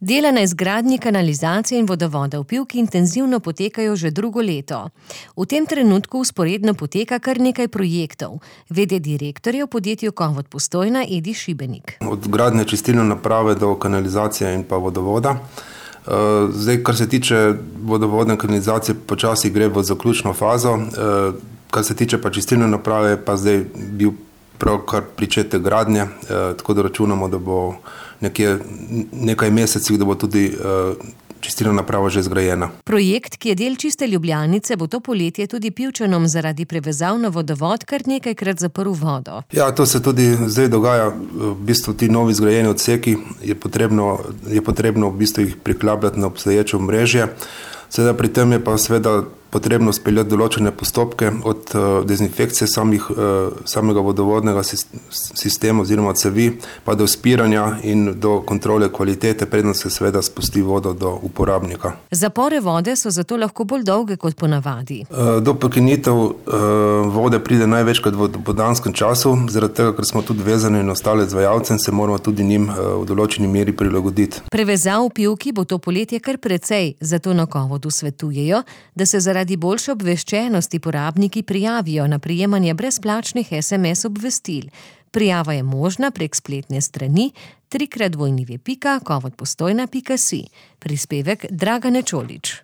Dela na izgradnji kanalizacije in vodovoda v Pivki intenzivno potekajo že drugo leto. V tem trenutku vzporedno poteka kar nekaj projektov. V.d. direktor je v podjetju Kovod Postojna Edi Šibenik. Od gradnje čistilne naprave do kanalizacije in pa vodovoda. Zdaj, kar se tiče vodovodne kanalizacije, počasi gre v zaključno fazo. Kar se tiče pa čistilne naprave, pa zdaj bil pravkar pričetek gradnje, tako da računamo, da bo nekaj mesecih, da bo tudi čistilna naprava že zgrajena. Projekt, ki je del Čiste Ljubljanice, bo to poletje tudi Pivčanom zaradi prevezav na vodovod kar nekajkrat zaprl vodo. Ja, to se tudi zdaj dogaja. V bistvu ti novi zgrajeni odseki je potrebno v bistvu jih priklapljati na obstoječe omrežje. Seveda pri tem je pa seveda potrebno speljati določene postopke od dezinfekcije samega vodovodnega sistema oziroma cevi, pa do spiranja in do kontrole kvalitete, preden se seveda spusti vodo do uporabnika. Zapore vode so zato lahko bolj dolge kot ponavadi. Do prekinitev vode pride največkrat v dopoldanskem času, zaradi tega, ker smo tudi vezani na ostale izvajalce in se moramo tudi njim v določeni meri prilagoditi. Prevezav v Pivki bo to poletje kar precej, zato na Kovodu svetujejo, da se zaradi boljše obveščenosti porabniki prijavijo na prejemanje brezplačnih SMS obvestil. Prijava je možna prek spletne strani www.kovodpostojna.si. Prispevek Dragane Čolič.